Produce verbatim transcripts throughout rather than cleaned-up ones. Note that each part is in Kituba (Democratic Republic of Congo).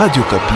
Radio Okapi.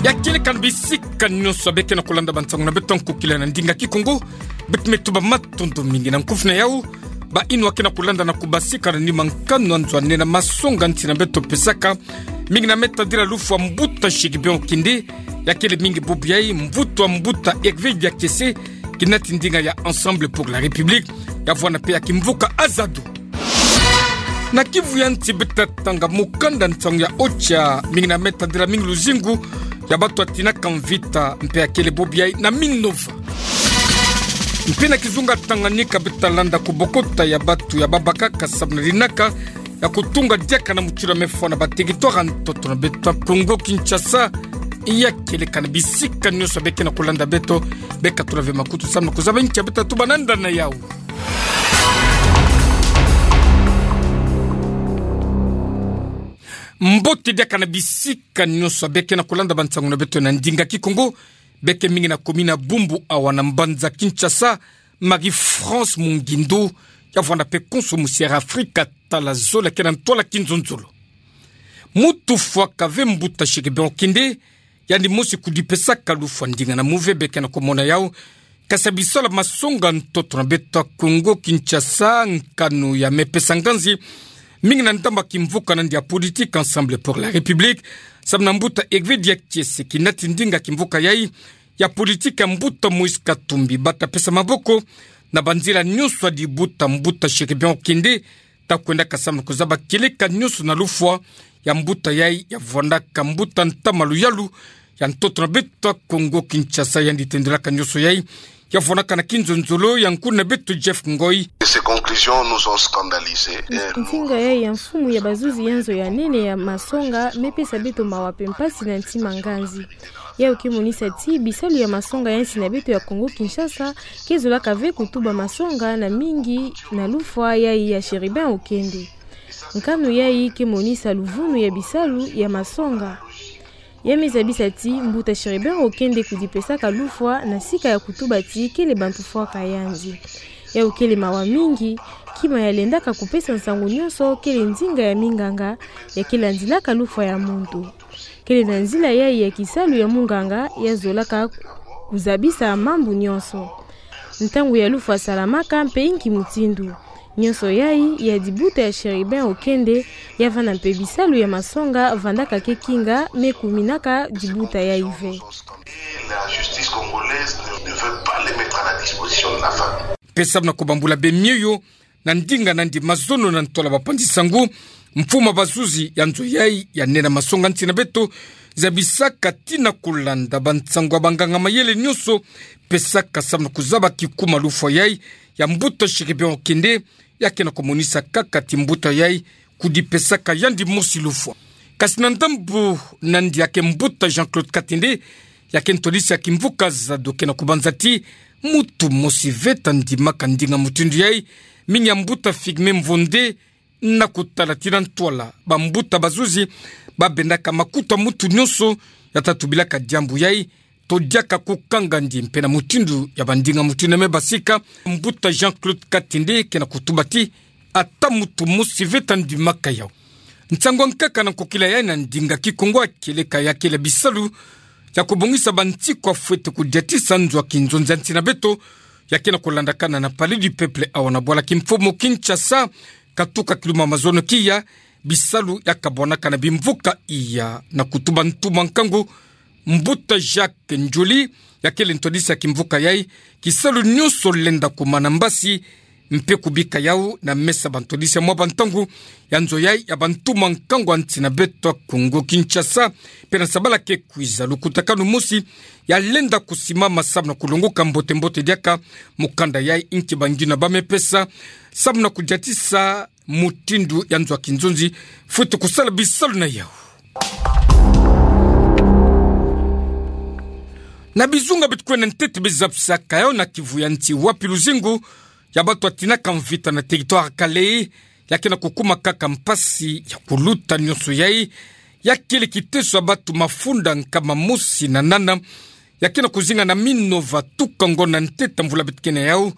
Ya kieleka na bisika nyonso beke na kulanda bansango na beto nkokila na ndinga Kikongo. Beto me tuba matondo mingi na nkufi na yau. Baino ake na kulanda na kubasika na nima nkanu ya nzo ane na masonga nsi na beto pesaka. Mingi na me tadila lufwa mbuta Chérubin Okende, ya kele mingi bubu yayi mvutu wa mbuta Hervé Diakese, kinati ndinga ya Ensemble pour la République, ya vwanda mpe ya kimvuka Azado. Na kivu ya nsi beto ta tanga mukanda nsangu ya OCHA, mingi na me tadila mingi luzingu ya batu ya tinaka mvita, mpe ya kele bubu yayi na Minova. Mpe na kizunga Tanganyika beto ta landa kubokota ya batu ya babakaka samu na linaka ya kutunga diaka na mutindu ya me fwa na bateritware ya ntoto na beto ya Kongo Kinshasa. Ya kieleka na bisika nyonso beke na kulanda beto, beka tula ve makutu samu na kuzaba nki ya beto ta tuba na nda na yau. Mbote diaka na bisika nyonso beke na kulanda bansango na beto na ndinga Kikongo. Beke mingi na commune ya Bumbu awa na mbanza Kinshasa, Marie-France Mungindu, ya vwanda mpe konso musi Air Afrika, tala zola ke na ntwala kinzonzolo. Mutu fwaka ve mbuta Chérubin Okende, yandi mosi kudipesaka lufwa ndinga na muve beke na kumona yau. Kasi ya biso la masonga ntoto na beto ya Kongo Kinshasa, nkanu ya me pesa nganzi mingi na ndambu ya kimvuka na yandi ya politique Ensemble pour la République, samu na mbuta Hervé Diakese, kinati ndinga kimvuka yayi ya politique ya mbuta Moïse Katumbi, bata pesa maboko na banzila nyonso ya dibuta mbuta Chérubin Okende, ta kwendaka samu na kuzaba kieleka nyonso na lufwa ya mbuta yayi ya vwandaka mbuta ntama luyalu ya ntoto na beto ya Kongo Kinshasa. Yandi tendelaka nyonso yayi ya vwandaka na kinzonzolo ya nkuna beto Jeff Ngoi. Ces conclusions nous ont scandalisés. Ntinga yayi ya mfumu ya bazuzi ya nzo ya nene ya masonga me pesa beto mawa mpe mpasi na ntima nganzi. Yau ke monisa ti bisalu ya masonga ya nsi na beto ya Kongo Kinshasa ke zolaka ve kutuba masonga na mingi na lufwa yayi ya Chérubin Okende. Nkanu yayi ke monisa luvunu ya bisalu ya masonga. Ya me zabisa ti mbuta Chérubin Okende kudipesaka lufwa na sika ya kutuba ti kele bantu fwaka yandi. Yau kele mawa mingi, kima ya lendaka kupesa nsangu nyonso kele ndinga ya minganga ya ke landilaka lufwa ya muntu. Kele na nzila yayi ya kisalu ya munganga ya zolaka kuzabisa mambu nyonso. Ntangu ya lufwa salamaka mpe inki mutindu. Nyonso yayi ya dibuta ya Chérubin Okende, ya vanda mpe bisalu ya masonga vandaka ke kinga me kuminaka dibuta yayi ve. La justice congolaise ne, ne veut pas les mettre à la disposition de la famille. Mpe samu na kubambula bemioyo, na ndinga na yandi mazono na ntwala bapanzi nsangu, mfumu ya bazuzi ya nzo yayi ya nene ya masonga nsi na beto zabisaka ti na kulanda bansangu ya banganga mayele nyonso pesaka samu na kuzaba kikuma lufwa yayi ya mbuta Chérubin Okende, ya ke na kumonisa kaka ti mbuta yayi kudipesaka yandi mosi lufwa. Kasi na ndambu na yandi ya ke mbuta Jean-Claude Katende, ya ke ntwadisi ya kimvuka Azado, ke na kubanza ti mutu mosi ve ta ndimaka ndinga mutindu yayi, mingi ya mbuta Figme Mvonde, na kutala ti na ntwala bambuta bazuzi babendaka makutu ya mutu nyonso ya ta tubilaka diambu yayi, to diaka kukanga yandi mpe na mutindu ya bandinga mutindu ya me basika. Mbuta Jean-Claude Katende ke na kutuba ti ata mutu mosi ve ta ndimaka yau. Nsangu ya nkaka na nkokila yayi na ndinga Kikongo ya kieleka ya kele bisalu ya kubongisa bansiku ya fwete kudiatisa nzo ya kinzonzi ya nsi na beto, ya ke na kulandakana na Palais du Peuple awa na bwala kimfumu Kinshasa, katuka kiluma mazono kiya, bisalu ya kabwanaka na bimvuka iya na kutuba ntumwa nkangu, mbuta Jacques Ndjoli, ya kele ntwadisi ya kimvuka yayi, kisalu nyonso lenda kumana mbasi, mpe kubika yau na mesa bantwadisi ya mwa bantangu ya nzo yayi ya bantumwa nkangu ya nsi na beto ya Kongo Kinshasa. Mpe na sabala ke kwiza, lukutakanu mosi ya lenda kusimama samu na kulongoka mbote mbote diaka mukanda yayi, inki bangina ba me pesa samu na kudiatisa mutindu ya nzo ya kinzonzi fwete kusala bisalu na yau. Na bizunga beto kwenda ntete, biza bisaka yau na Kivu ya nsi, wapi luzingu ya bato ya tinaka mvita na territoire Kalehe ya ke na kukuma kaka mpasi ya kuluta. Nyonso yayi ya kele kiteso ya bato mafunda nkama mosi na nana, ya ke na kuzinga na Minova tuka ngonda ntete mvula beto ke na yau,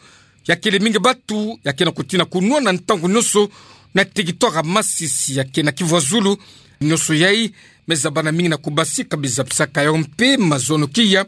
ya kele mingi batu ya ke na kutina kunwana ntangu nyonso na territoire ya Masisi ya ke na Kivu ya Zulu. Nyonso yai me zabana mingi na kubasika biza bisaka yao mpe mazono kia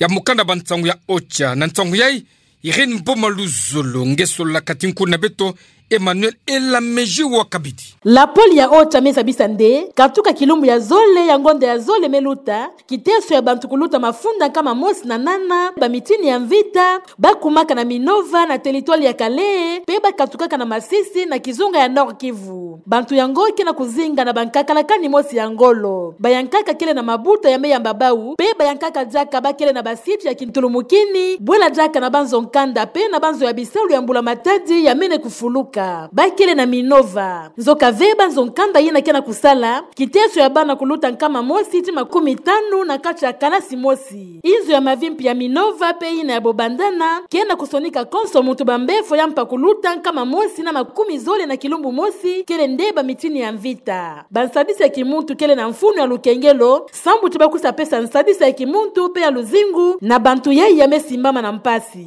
ya mukanda ba nsangu ya OCHA. Na nsangu yai, Irène Mboma Luzolo nge solola kati nkuna beto Emmanuel Elameji wa Kabidi. Lapole ya OCHA me zabisa nde katuka kilumbu ya zole ya ngonda ya zole me luta, kiteso ya bantu kuluta mafunda nkama mosi na nana ba mitini ya mvita ba kumaka na Minova na territoire ya Kalehe, mpe ba katukaka na Masisi na kizunga ya Nord-Kivu. Bantu yango ke na kuzinga na ba nkakalakani mosi ya ngolo. Bayankaka kele na mabuta ya me yamba bau, mpe bayankaka diaka ba kele na ba site ya kintulumukini, bwela diaka na ba nzo nkanda mpe na ba nzo ya bisalu ya mbula matadi ya mene kufuluka. Ba kele na Minova. Nzoka ve ba nzo nkanda yina ke na kusala, kiteso ya bana kuluta nkama mosi tii makumi tanu na kati ya kalasi mosi. Inzo ya mavimpi ya Minova mpe yina ya Bobandana ke na kusonika konso muntu ba mbefo ya mpa kuluta nkama mosi na makumi zole na kilumbu mosi, kele nde ba mitini ya mvita. Ba nsadisi ya kimuntu kele na mfunu ya lukengelo, sambu ti ba kusa pesa nsadisi ya kimuntu mpe ya luzingu na bantu yai ya me simbama na mpasi.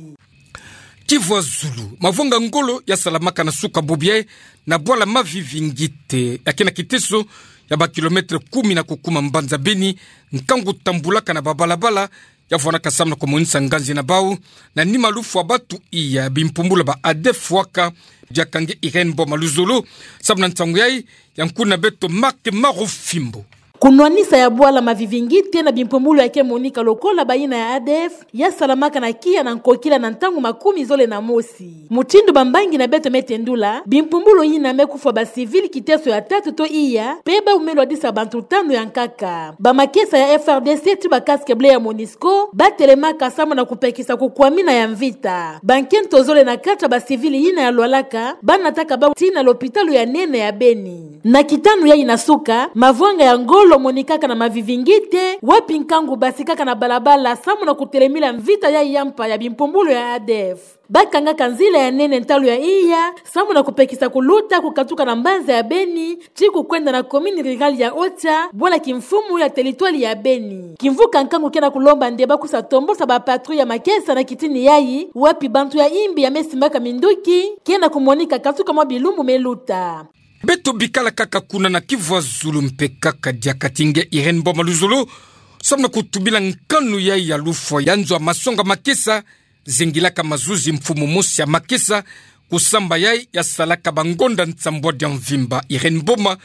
Kivu ya Zulu, mavwanga ngolo ya salamaka na suka bubu yai na bwala Mavivingite, ya ke na kiteso ya ba kilomètre kumi na kukuma mbanza Beni, nkangu tambulaka na ba balabala ya vwandaka samu na kumonisa nganzi na bau na nima lufwa batu iya bimpumbulu ba ADF waka. Diaka nge Irène Mboma Luzolo samu na nsangu yai ya nkuna beto Marc Marufimbo. Kunwanisa ya bwala Mavivingite na bimpumbulu ya ke monika lokola bayina ya ADF ya salamaka na kia na nkokila na ntangu makumi zole na mosi. Mutindu ba mbangi na beto me tendula, bimpumbulu yina me kufwa ba civil kiteso ya tatu to iya, mpe bau me lwadisa bantu tanu ya nkaka. Ba makesa ya FRDC tii ba casque bleu ya MONUSCO ba telemaka samu na kupekisa kukwamina ya mvita. Ba nkento zole na kati ya ba civil yina ya lwalaka ba nataka bau tii na lopitalu ya nene ya Beni. Na kitanu yai na suka, mavwanga ya ngolo monikaka na Mavivingite, wapi nkangu basikaka na balabala samu na kutelemila mvita yai ya mpa ya bimpumbulu ya ADF. Ba kangaka nzila ya nene ntalu ya iya samu na kupekisa kuluta kukatuka na mbanza ya Beni tii kukwenda na commune rurale ya Ocha, bwala kimfumu ya territoire ya Beni. Kimvuka nkangu ke na kulomba nde ba kusa tombosa ba patrouille ya makesa na kitini yai, wapi bantu ya imbi ya me simbaka minduki ke na kumonika katuka mwa bilumbu me luta. Beto bikala kaka kuna na Kivu ya Zulu mpe kaka diaka ti nge Irène Mboma Luzolo samu na kutubila nkanu yai ya lufwa ya nzo ya masonga makesa, zengilaka mazuzi mfumu mosi ya makesa, kusamba yai ya salaka ba ngonda nsambwadi ya mvimba. Irène Mboma,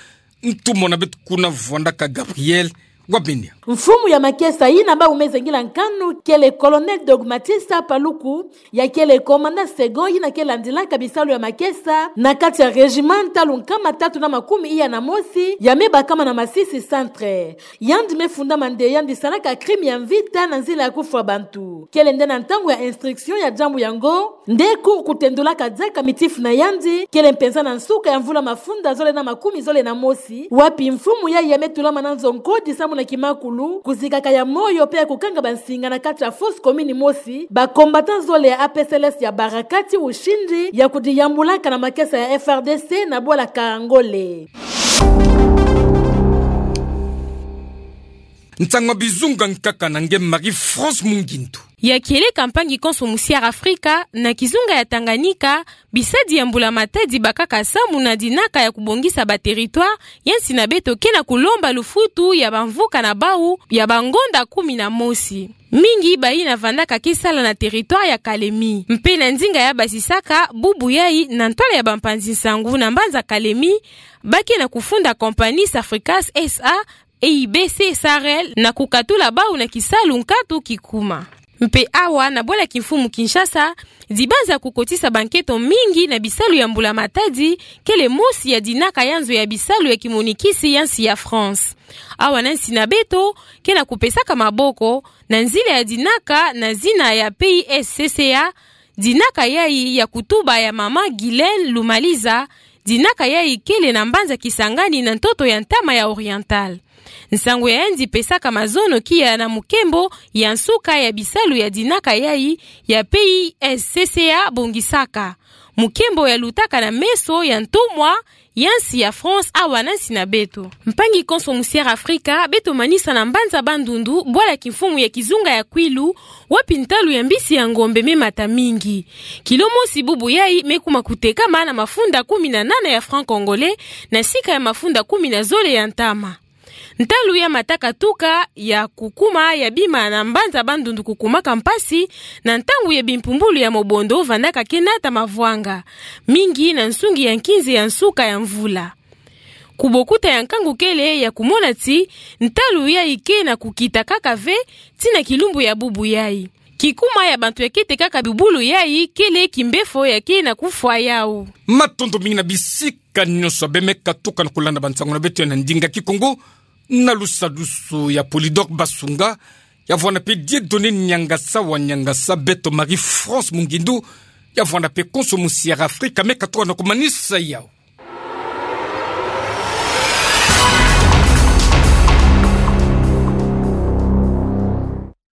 ntumwa na beto kuna vwandaka Gabriel Wabenia. Mfumu ya makesa yina bau me zengila nkanu kele Colonel Dogmatista Paluku, ya kele commandant second yina ke landilaka bisalu ya makesa na kati ya régiment ntalu nkama tatu na makumi iya na mosi ya me bakama na Masisi Centre. Yandi me fundama nde yandi salaka crime ya mvita na nzila ya kufwa bantu. Kele nde na ntangu ya instruction ya diambu yango nde cour kutendulaka diaka mitifu na yandi, kele mpenza na nsuka ya mvula mafunda zole na makumi zole na mosi, wapi mfumu yai ya me tulama na nzo nkodi samu na kimakulu, kuzikaka ya moyo mpe ya kukanga bansinga na kati ya fosse commune mosi, ba combattants zole ya APCLS ya baraka ti ushindi ya kudiyambulaka na makesa ya FRDC na bwala Karangole. Nsangu ya bizunga nkaka na nge Marie-France Mungindu. Ya kieleka mpangi konso musi ya Afrika, na kizunga ya Tanganyika, bisadi ya mbula matadi bakaka samu na dinaka ya kubongisa ba territoire, ya nsi na beto ke na kulomba lufutu ya bamvuka na bau ya ba ngonda kumi na mosi. Mingi bayina vandaka ke sala na territoire ya Kalemi. Mpe na ndinga ya basisaka, bubu yai na ntwala ya bampanzi nsangu na mbanza Kalemi, ba ke na kufunda compagnie Safricas S A, E I B C Sahel na kukatula bau na kisalu nkatu kikuma. Mpe awa na bwala kimfumu Kinshasa, dibanza kukotisa bankento mingi na bisalu ya mbula matadi, kele mosi ya dinaka ya nzo ya bisalu ya kimonikisi ya nsi ya France. Awa na nsi na beto, ke na kupesaka maboko, na nzila ya dinaka na zina ya P I S C C A, dinaka yai ya kutuba ya mama Guylaine Lumaliza, dinaka yai kele na mbanza Kisangani na ntoto ya ntama ya Oriental. Nsangu ya yandi pesaka mazono kia na mukembo ya nsuka ya bisalu ya dinaka yai ya P I S C C A bongisaka. Mukembo yalutaka na meso ya ntumwa ya nsi ya France awa na nsi na beto. Mpangi konso mu Sierra Africa, beto manisa na mbanza bandundu bwala kimfumu ya kizunga ya Kwilu, wapi ntalu ya mbisi ya ngombe me mata mingi. Kilo mosi bubu yayi me kuma kutekama na mafunda kumi na nana ya francs congolais, na sika ya mafunda kumi na zole ya ntama. Ntalu ya mata katuka ya kukuma ya bima na mbanza bandundu kukumaka mpasi, na ntangu ya bimpumbulu ya mobondo vandaka ke nata mavwanga, mingi na nsungi ya nkinze ya nsuka ya mvula. Kubokuta ya nkangu kele ya kumona ti ntalu yayi ke na kukita kaka ve, ti na kilumbu ya bubu yayi. Kikuma ya bantu ya kete kaka bubulu yayi kele kimbefo ya ke na kufwa yau. Matondo mingi na bisika nyonso beno me katuka na kulanda bansangu na beto ya na ndinga Kikongo, na lusadusu ya Polydor Basunga, ya vwanda pe Dieudonné Niangasa wa Niangasa, beto Marie-France Mungindu, ya vwanda pe konso mu Sierra Africa, me katuka na kumanisa yau.